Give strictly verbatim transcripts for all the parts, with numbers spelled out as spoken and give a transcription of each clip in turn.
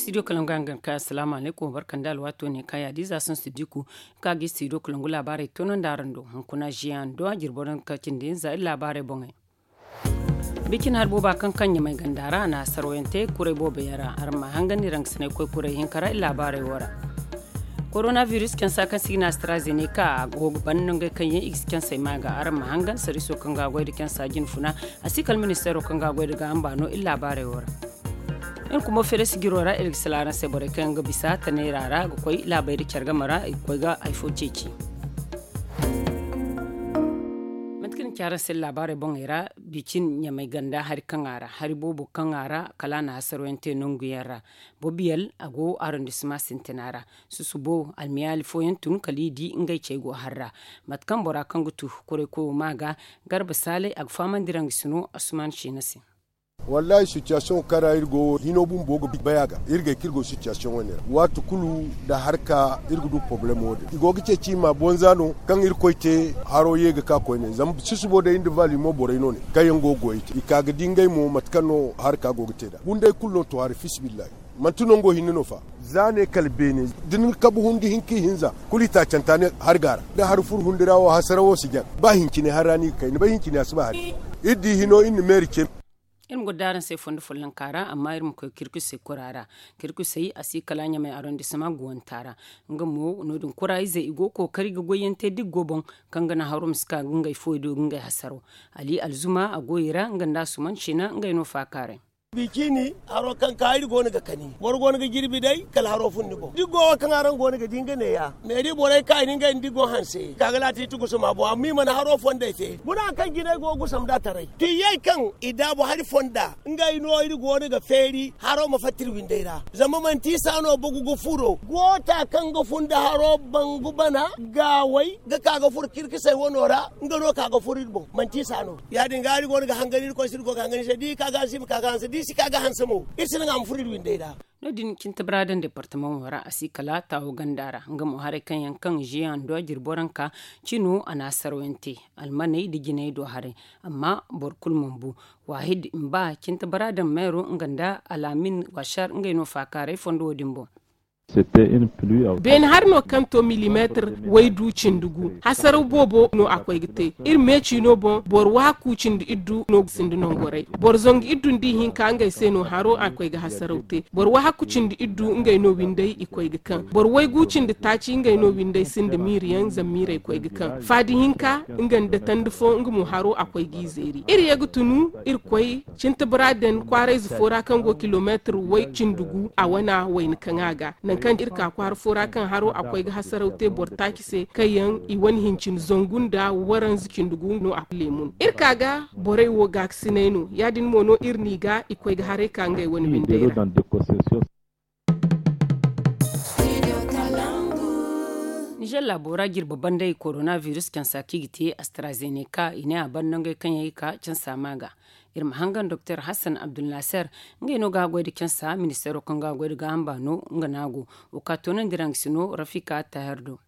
Studio kalangu a ga ka asalaamu alaykum barka nda alwaato ne ka yaadiiza son sidiku ka ga studio kalangu laabaarey toonandi araŋ do hunkuna ziyaŋ do a jirbi waranka cindi hinza iri laabaarey boŋey. Bicin hari booba kaŋ kaŋ ɲamay ganda ra a na hasarwayaŋ te kuray boobo yaŋ ra araŋ ma a hangan iri hangasiney koy kuray hinka ra iri laabaarey wo ra. Korona virus cansa kaŋ se i ga ne astrazeneka a go ga ban nangey kaŋ yaŋ i ga si cansey ma ga araŋ ma hangan sariiso kaŋ ga a goy nda cansa jinfuna a si kala ministeero kaŋ ga a goy nda gaaham baano iri laabaarey wo ra. Iri kumo feere sijiro ra iri ga sila araŋ se borey kaŋ yaŋ ga bisa tanayra ra ga koy laabey nda care game ra i ga koy ga hari fo ceeci. Mate kaŋ ni ci araŋ se laabaarey boŋey ra bicin ɲamay ganda hari kaŋ a ra hari boobo kaŋ a ra kala a na hasarwayaŋ te nangu yaŋ ra. Bobiyal a go arondisema sintina ra. Susubo almiyaali fooyaŋ tun kala i di ngey cey go harra. Mate kaŋ bora kaŋ ga tu kuray koyo ma ga garba saalay a ga fahamandi ra nga si no asuman ciina se. Wallahi sitiyasiyoŋ kaŋ ra iri go wo hino bumbo ga bay a ga iri gay kaŋ iri go sitiyasiyoŋ wane ra waati kulu nda harka iri ga du porobalem wo- din i go ga ceeci i ma bonza no kaŋ irkoy te haro ye ga ka koyne zama sisubo day nda valimo borey no ne kaŋ yaŋ go ga goyey te i ka ga di ngey mo mate kaŋ no harka go ga te nd'a bunday kulu no to hari fisabillahi. Manti nango hinne no fa za ne kala beene da ni kabu hundu hinka ihinza kulu i taacanta ne hari ga ra da hari furu hundi ra wo hasara wo si jaŋ ba hincine hari ra no i ga kay ni bay hincine a si ba hari fo. Iri di hino iri na meeri ce. Iri ma goro da araŋ se fondo follonka ra amma iri ma koy kirkusey kura ra. Kirkusey a si kala ɲamay arondisema guwanta ra. Nga mo no- din kura ize i go ga kookari ga goyyaŋ te da i ga go boŋ kaŋ ga naŋ haro ma si ka ga ngey fooyaŋ do ga ngey hasaro. Ali alzuma a goyey ra nga nda asuman ciina ngey no faakaaray. Bicini haro kaŋ ka iri go no ga kani boro go no ga jirbi day kala haro fun ni boŋ da i go wo kaŋ araŋ go no ga di nga neeya. Meeri borey ka i na ngey nda i go hanse ka ga laati i ti gusuma boŋ amma i mana haro fondey feeri guna kaŋ jinay go ga gusam da taray tuyyey kaŋ i daabu hari fonda. Ngey no iri go no ga feeri haro ma fatta iri windey ra zama manti i sa no bogu ga furo goota kaŋ ga fun da haro bangu bana gaaway ga ka ga furo kirkisey wano ra. Nga no ka ga furo iri boŋ manti i sa no ya- din ga iri go no ga hangan iri koy se iri go ga hangan iri se da i ka ga hanse iri ma ka ga hanse da i si ka ga hanse mo iri si naŋ a ma furo iri windey ra. No- din cintabara daŋ departamaŋo ra a si kala taawo ganda ra nga mo haray kaŋ yaŋ kaŋ ziyaŋ do a jirbi waranka cino a na hasarwayaŋ te almaney nda jinay do haray. Amma boro kulu mana bu waahid mba cintabara daŋ meero nga nda alaamin washar ngey no faakaaray fondo wo- din boŋ. Beene hari no kaŋ to milimeetir waydu cindi gu hasaraw boobo no a koy ga te. Iri meeci no boŋ boro wahakku cindi iddu no ga sinda nongoray. Boro zangu iddu nda ihinka ngey se no haro a koy ga hasaraw te. Boro wahakku cindi iddu ngey no windey i koy ga kaŋ boro waygu cindi taaci ngey no windey sinda miiriyaŋ zama miirey koy ga kaŋ faadi hinka nga nda tandi fo nga mo haro a koy g'i zeeri iri ye ga tunu iri koy cintabara den kwaarayze fo ra kaŋ go kilomeetir way cindi gu a wana wayna kaŋ a ga. Nangu kaŋ iri ka kwaara fo ra kaŋ haro a koy ga hasaraw te boro taaci se kaŋ yaŋ i wane hincin zangu nda waranza cindi gu no a leemun iri ka ga borey wo gaakasinay no ya- din mo no iri n'i ga i koy ga haray ka ngey wane windey ra. Nizer laabo ra jirbi bandey korona virus cansa kaŋ i ga te astrazeneka i ne a ban nangey kaŋ yaŋ i ka cansa ma ga. Iri ma hangan doktor hassan abdulnaser ngey no ga a goy nda cansa ministeero kaŋ ga a goy nda gaaham baano nga no a go. Wo ka toonandi ra nga si no rafika tahir do.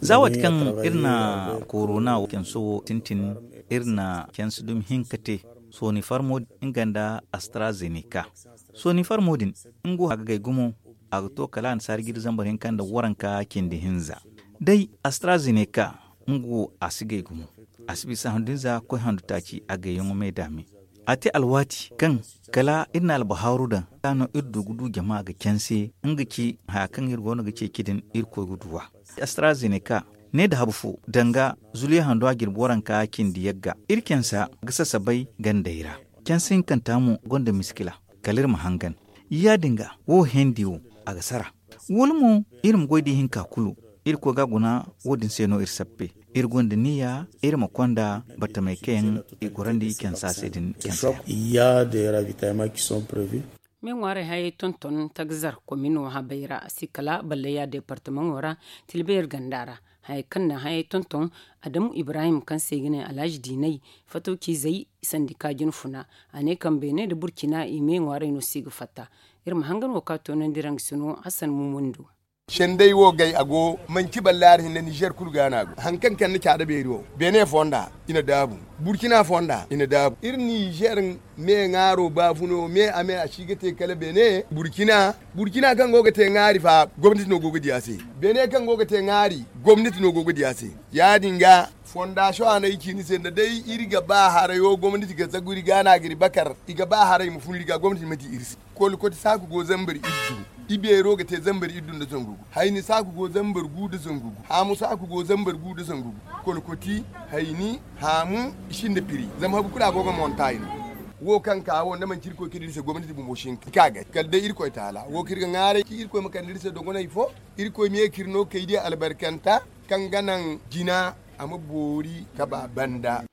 Za waati kaŋ iri na korona canso wo sintin iri na cansi dumi hinka te. Sooni farmo nga nda astrazeneka sooni farmo din nga wo a ga gay gumo. A ga to kala a na saari jiri zambar hinka nda waranka cindi hinza. Day astrazeneka nga wo a si gay gumo. A si bisa handu hinza koy handu taaci a gayyaŋo me daame. A te alwaati kaŋ kala iri na albahaaru daŋ ka no iri du ga du jama ga canse nga ci haya kaŋ iri go no ga ceeci din iri koy ga duw'a. Astrazeneka ne da habu fo danga zuliya hando a jirbi waranka cindi yagga iri cansa ga sasabay gandey ra. Canse hinkanta mo gonda miskila kala iri ma hangan. Ya- din ga wo hendi wo a ga sara. Wala mo iri ma goy da ihinka kulu iri koy ga a guna. Wo- din se no iri sappe iri gonda niya iri ma konda batamey kaŋ yaŋ i gorandi cansa se din cansa yaŋ. Me ŋwaaray hayey tonton tagzar komino habey ra a si kala balleya departamaŋo ra tilbeer ganda ra. Hayey kaŋ na hayey tonton adamu ibrahim kaŋ se i ga ne alhaji diinay fatawciizey sandika jinfuna. A ne kaŋ beene nda burcina i me ŋwaaray no si ga fatta. Iri ma hangan wo ka toonandi ra nga si no hassan mumundo. Sendey wo gay a go manci ballaari hinne nizer kulu ga no a go hari kaŋ kande caada beeri wo. Beene fonda i na daabu. Burkina fonda i na daabu iri nizer. Me ŋaaro baafuno me a me a si ga te kala beene. Burkina burkina kaŋ go ga te ŋaari fa gomnati no go ga di a se. Beene kaŋ go ga te ŋaari gomnati no go ga di a se. Ya- din ga fondasiyoŋ a no ay ci ni se nda day iri ga ba harayo gomnati ga zagu iri ga no a ga iri bakar. I ga ba haray ma fun iri ga gomnati ma di iri se. Kolkoti saaku go zambar iddu. Ibeero ga te zambar iddu nda zangu gu. Hayni saaku go zambar gu nda zangu gu. Haamu saaku go zambar gu nda zangu gu. Kolkoti, hayni, haamu, i sinda piri zama habu kulu a go ga monta i no. Wo kaŋ ka wo nda manci irkoy kaydi iri se gomnati bumbo si hin ka gay kala day irkoy taala wo kaŋ iri ga ŋwaaray ci irkoy ma kande iri se dogonay fo. Irkoy ma ye ka iri no kaydiya albarkanta kaŋ ga naŋ jina a ma boori ka ba banda.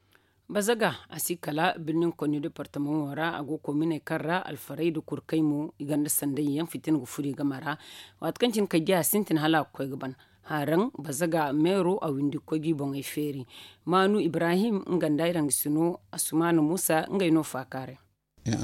Bazaga a si kala birnin konni departamaŋo ra a go kominey kaŋ ra alfarey nda kurkey mo i gonda sanday yaŋ fitina ga furo i game ra. Waati kaŋ cine kay diya sintin hala a ga koy ga ban. Haraŋ bazaga meero a windi ga koy ga i boŋey feeri. Maanu ibrahim nga nda ay rangasino asumaana muusa ngey no faakaaray. Da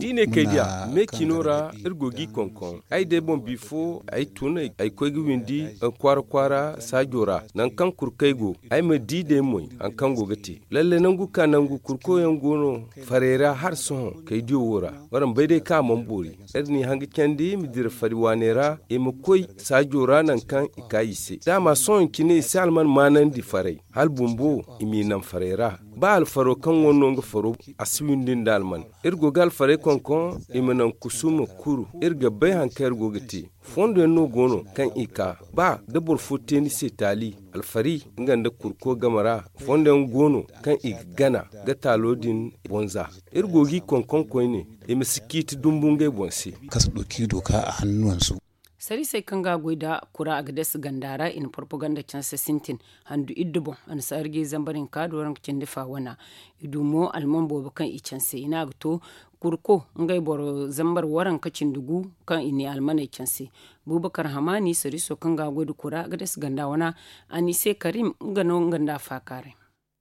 i ne kay diya me cino ra iri go ga i konkoŋ ay day boŋ bifo ay tun ay koy ga windi kwaara kwaara saajo ra nangu kaŋ kurkey go ay ma di day moy hari kaŋ go ga te. Lalle nangu ka nangu kurko yaŋ go no faray ra hala sohõ kay diyo wo ra. Waraŋ bay day kaŋ a mana boori iri n'i haŋ ga candi ma dira fari waaney ra i ma koy saajo ra nangu kaŋ i ka i se daama sohõ cine i si alman maanandi faray hala bumbo i m'i naŋ faray ra. Ba alfaro kaŋ wane no nga faro a si windi nda alman. Iri go ga alfarey konkoŋ i ma naŋ kusuma kuru iri ga bay hari kaŋ iri go ga te. Fondo yaŋ no go no kaŋ i ka ba da boro fo te ni se taali alfari nga nda kurko game ra. Fondo yaŋ go no kaŋ i ga gana ga taalo din boŋ za. Iri go ga i konkoŋ koyne i ma si ciiti dumbu ngey boŋ se. Kaŋ si du kaŋ i du ka a hannuwan su. Sariisey kaŋ ga a goy nda kura a ga deesi ganda ra i na porpoganda canse sintin handu iddu boŋ a na si arjey zambar hinka nda waranka cindi fa wana. I du mo alman boobo kaŋ i canse i ne a ga to kurko ngey boro zambar waranka cindi gu kaŋ i ne almaney canse. Bubakar hamaani sariiso kaŋ ga a goy nda kura a ga deesi ganda wana a ne i se karim nga no nga nda a faakaaray.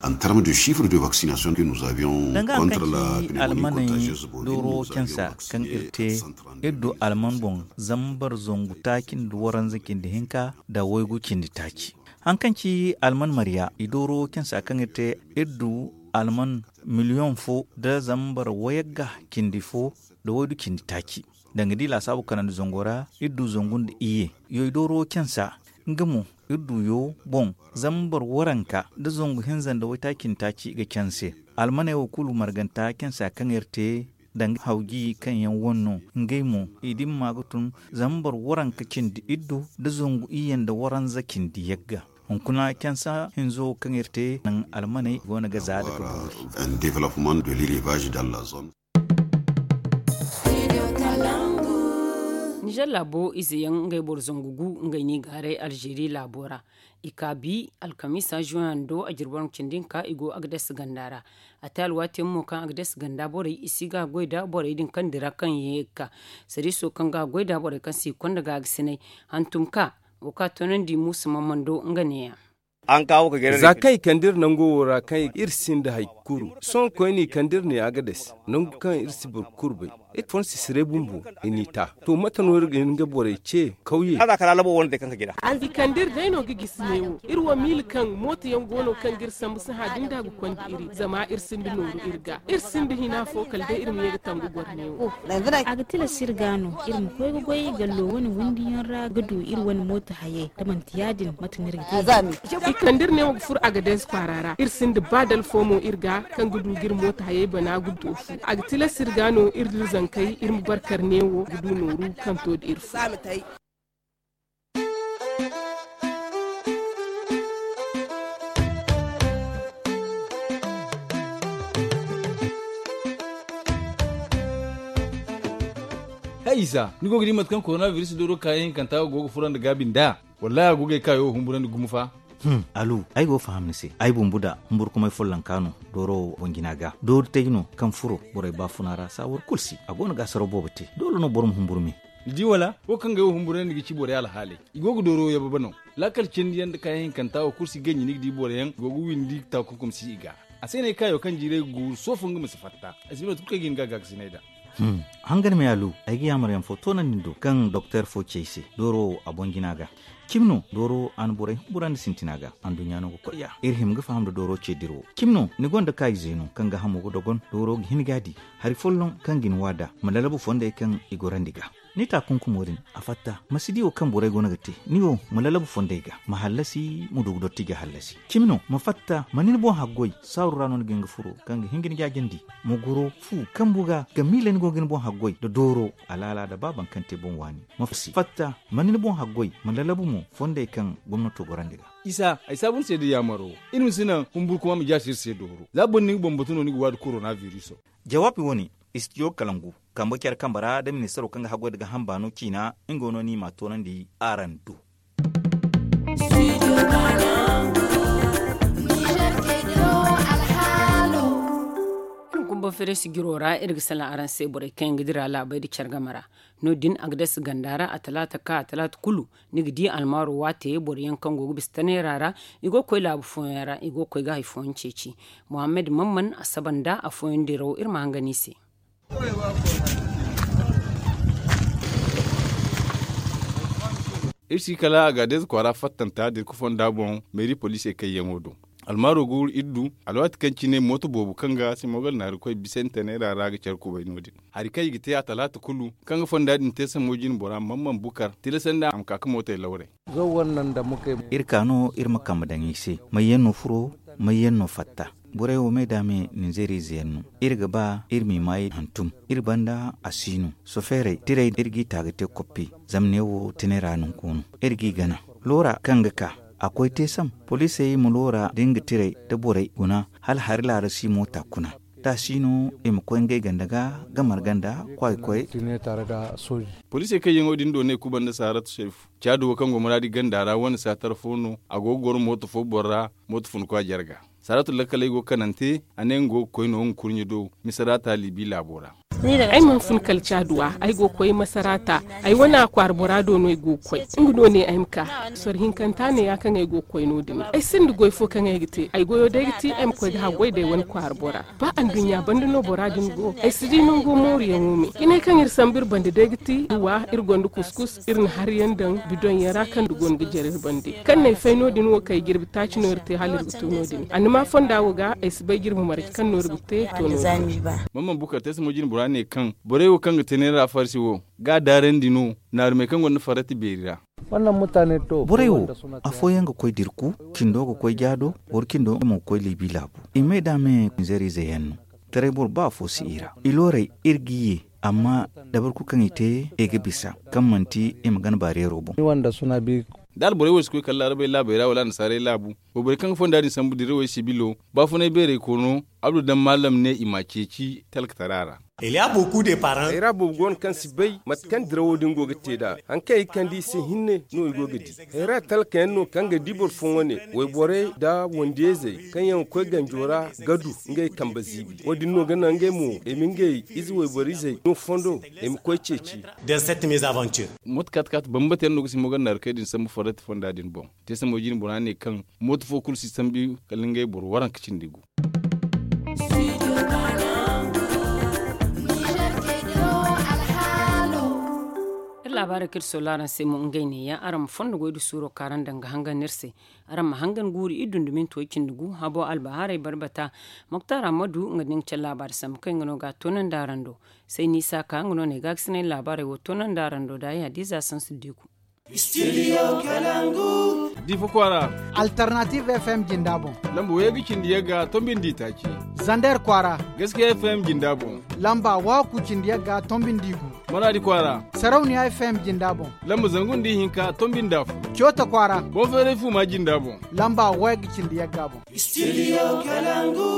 En terme de chiffre de vaccination que nous avions danga hankan ci almaney dooro cansa kaŋ iri te iri du alman boŋ zambar zangu taaci nda waranza cindi hinka nda waygu cindi taaci. Hankan ci alman marya i dooro cansa kaŋ iri te iri du alman miliyoŋ fo nda zambar wayagga cindi fo nda waydu cindi taaci. Danga di laasaabu kanandi zango ra iri du zangu nda iyye. Yoy dooro cansa nga mo iri du yo boŋ zambar waranka nda zangu hinza nda waytaaci nda taaci ga canse. Almaney wo kulu marganta cansa kaŋ iri te danga hawji kaŋ yaŋ wane no ngey mo i dimma ga tun zambar waranka cindi iddu nda zangu iyye nda waranza cindi yagga. Hunkuna cansa hinzo kaŋ iri te naŋ almaney go no ga za da ka boori. Un développement de l'élevage dans la zone. Nizer laabo ize yaŋ ngey boro zangu gu ngey no i gaaray alzeeri laabo ra. I ka bi alkamiisa zuwando a jirbi waranka cindi hinka i go agades ganda ra. A te alwaati yaŋ mo kaŋ agades ganda borey i si ga goy nda borey din kaŋ dira kaŋ ye ga ka sariiso kaŋ ga goy nda borey kaŋ si konda ga ga sinay hantum ka wo ka toonandi muusa mamando nga neeya. Za kaŋ i kande iri nango wo ra kaŋ iri sinda hari kulu sohõ koyne i kande iri ne agades nangu kaŋ iri si boro kulu bay. Iri fon sisiray bumbo i n'i ta. To mate no iri ga hin ga borey ce kawye? I kande iri day no ga gisi neewo iri wo miila kaŋ mooto yaŋ go no kaŋ ga iri sambu sahã din da ga konda iri zama iri sinda nooru iri ga iri sinda hina fo kala day iri ma ye ga tangu goro neewo. A ga tilas iri ga no iri ma koy ga goy gallo wane windi yaŋ ra ga du iri wane mooto hayey da manti ya- din mate no iri ga te. I kande iri ne wo ga furo agades kwaara ra iri sinda ba dala fo mo iri ga kaŋ ga du ga iri mooto hayey bana ga du fu a ga tilas iri ga no iri da iri zankey iri ma barkar ne wo ga du nooru kaŋ to da iri fu. Hay isa ni go ga di mate kaŋ koronabiris dooro kaayaŋ hinkanta go ga furo nda gaabi nd'a? Wallahi a go ga ay kaayo humburandi gumo fa. Hum alu ay go ga faham ni se ay bumbu da humburkumay follonka no dooro wo boŋ jina ga doori tay no kaŋ furo borey baafuna ra saawar kulu si a go no ga asaro boobo te doole no boro ma humburu me. Ni di wala wo kaŋ ga ay wo humburandi ga ci borey alhaaley i go ga dooro wo yababa no. Laakal cindi yaŋ nda kaayaŋ hinkanta wo kulu si ganji ni ga di boro yaŋ go ga windi taakunkum si i ga. A se no ay kaayo kaŋ jiiray ga guuru soofo nga ma si fatta ay si bay mate kulu kaŋ ay ga hin ga a gaakasinay nd'a. Hangan me a lu, ay ga yaamar yaŋ fo toonandi ni do kaŋ doktor fo ci ay se dooro wo a boŋ jina ga. Cimi no dooro a na borey humburandi sintina ga anduɲɲa no ga koy ya iri hima ga faham nda dooro ce dira wo. Cimi no ni gonda kaayi zeeno kaŋ ga hamo ga dogon dooro ga hin ga a di hari folloŋ kaŋ ga ni waada ma lalabu fondey kaŋ i gorandi ga. Ni taakunkumo din a fatta ma si di wo kaŋ borey go no ga te. Ni wo ma lalabu fondey ga ma hallasi ma du ga dotti ga hallasi. Cimi no ma fatta ma ni ni boŋ haggoy saaru ra no ni ga hin ga furo kaŋ ga hin ga ni jaajandi. Ma goro fu kambu ga ga miila ni go ga ni boŋ haggoy nda dooro alaala nda baaban kaŋ te boŋ waani. Ma fatta ma ni ni boŋ haggoy ma lalabu mo fondey kaŋ gomnato gorandi ga. Isa ay saabu ni se da yaamaro iri ma si naŋ humburu kuma ma jaasi iri se dooro za boro ni ga bambatu no ni ga waadi korona biriso. Jawaabi wo-ne istijo kalangu kambe care kambe ra da ministaro kaŋ ga haggoy nda ga hamba no ciina nga wo no ni ma a toonandi araŋ do. Iri ga kumba fereesi jiro ra iri ga salaŋ araŋ se borey kaŋ yaŋ ga dira laabey nda care game ra. No- din a ga dasa ganda ra a talaata ka a talaata kulu ni ga di almaaro waate boro yaŋ kaŋ go ga bisa taneera ra. I go ga koy laabu fooyaŋ ra i go ga koy ga hari fooyaŋ ceeci. Muhammad mamman a saba nda afooyaŋ diraw iri ma hangan i se. Iri si kala agadeez kwaara fattanta dirku fonda boŋ meeri poliisey kayyaŋo do. Almaaro ga wuru iri du alwaati kaŋ cine mooto boobo kaŋ ga simogal naari koy bisante neera ra ga care kubay no- din. Hari kaŋ i ga te a talaata kulu kaŋ ga fonda din te sammo jine bora mamman bukar tilasandi a ma ka ga mootey lawray. Iri ka no iri ma kambe daŋ i se mayyaŋ no furo mayyaŋ no fatta. Borey wo me da me ninzeeriize yaŋ no. Iri ga ba iri m'i maayi hantum. Iri banda a si no sofeerey tirey iri g'i ta ga te koppi. Zama ne wo tine ra nonko no iri g'i gana. Loora kaŋ ga ka a koy te sam poliisey ma loora da nga tirey da borey guna hala hari laara si moota kuna. Da a si no i ma koy ngey ganda ga ga marga nda kwaay koy. Poliisey kaŋ yaŋo din do ne kuba nda saaratu seefu caadu wo kaŋ go maraadi ganda ra wane saatar fo no a go ga goro mooto fo boro ra. Mooto fun kwa jarga saaratu lakkaley go ga kanante. A ne nga go ga koy no nga kurɲe do misarata liibi laabo ra. Ay mana fun kala caaduwa ay go ga koy masarata. Ay wane a kwaara bora do no ay go ga koy. Nga no ne ay ma ka soro hinkanta ne ya kaŋ ay go ga koy no- din. Ay sinda goy fo kaŋ ay ga te ay goyo day ga ti ay ma koy ga haggoy day wane kwaara bora. Ba anduɲɲa banda no bora din go ay si di nango mooruyaŋo me. Jinay kaŋ iri sambu iri banda day ga ti wa iri gonda kuskus iri na hari yaŋ daŋ bidon yaŋ ra kaŋ da go no ga jare iri bande. Kaŋ no ay fay no- din wo kaŋ ay jirbi taaci no iri te hala iri ga to no- din annama fonda wo ga ay si bay jirbi marje kaŋ no iri ga te to no- din. Mamman bukar te si mo jine bora ne kaŋ borey wo kaŋ ga te neera farsi wo ga a daarandi no naarumey kaŋ gonda farrati beeri ra. Borey wo afooyaŋ ga koy dirku cindo ga koy jaado boro cindo mo ga koy liibi laabu. I me da me zeeriize yaŋ no taray boro ba afo si i ra i looray iri g'i ye. Amma dabari kulu kaŋ i te i ga bisa kaŋ manti i ma gana baareero boŋ. Da alborey wo si koy kala laarabey laabey ra wala annasaarey laabu wayborey kaŋ ga fonda din sambu dirawey sibilo baafunay beerey koono abdu daŋ maalam ne i m'a ceeci talkatara ra. Ay ra boobo go no kaŋ si bay mate kaŋ dirawo din go ga te nd'a. Hari kaŋ ay ga kande i se hinne no i go ga di. Hayra talkayaŋ no kaŋ ga di boro fooyaŋ wane wayborey nda wandiyayzey kaŋ yaŋ ga koy ganjo ra ga du ngey kambe ziibi wo- din no ga naŋ ngey mo i ma ngey ize wayboriizey no fondo i ma koy ceeci. Mooto kaati kaati bambata yaŋ no ga si mogannaari kay din sambu farrati fonda din boŋ. Te sambo jine bora ne kaŋ mooto fo kulu si sambu kala ngey boro waranka cindi gu. Iri laabaarey kaŋ iri soola araŋ se mo ngey neeya araŋ ma fondo goy da suuro kaŋ araŋ daŋ ga hangan iri se. Araŋ ma hangan guuru iri dunduminto cindi gu habo albahaarey barbata. Moktar ammadu nga da ni ga care laabaari sambu kaŋ nga no ga a toonandi araŋ do. Say ni isa ka nga no ne gaakasinay laabaarey wo toonandi araŋ do da ay hadiza sansu diku. Studio kalangu. Difa kwaara. Alternative fm jinda boŋ. Lamba way ga cindi yagga tombin di taaci. Zander kwaara. Gaskiya fm jinda boŋ. Lamba waku cindi yagga tombin di gu. Maradi kwaara. Sarauniya fm jinda boŋ. Lamba zangun di hinka tombin da fu. Cota kwaara. Bonferey fuma jinda boŋ. Lamba way ga cindi yagga boŋ. Studio kalangu.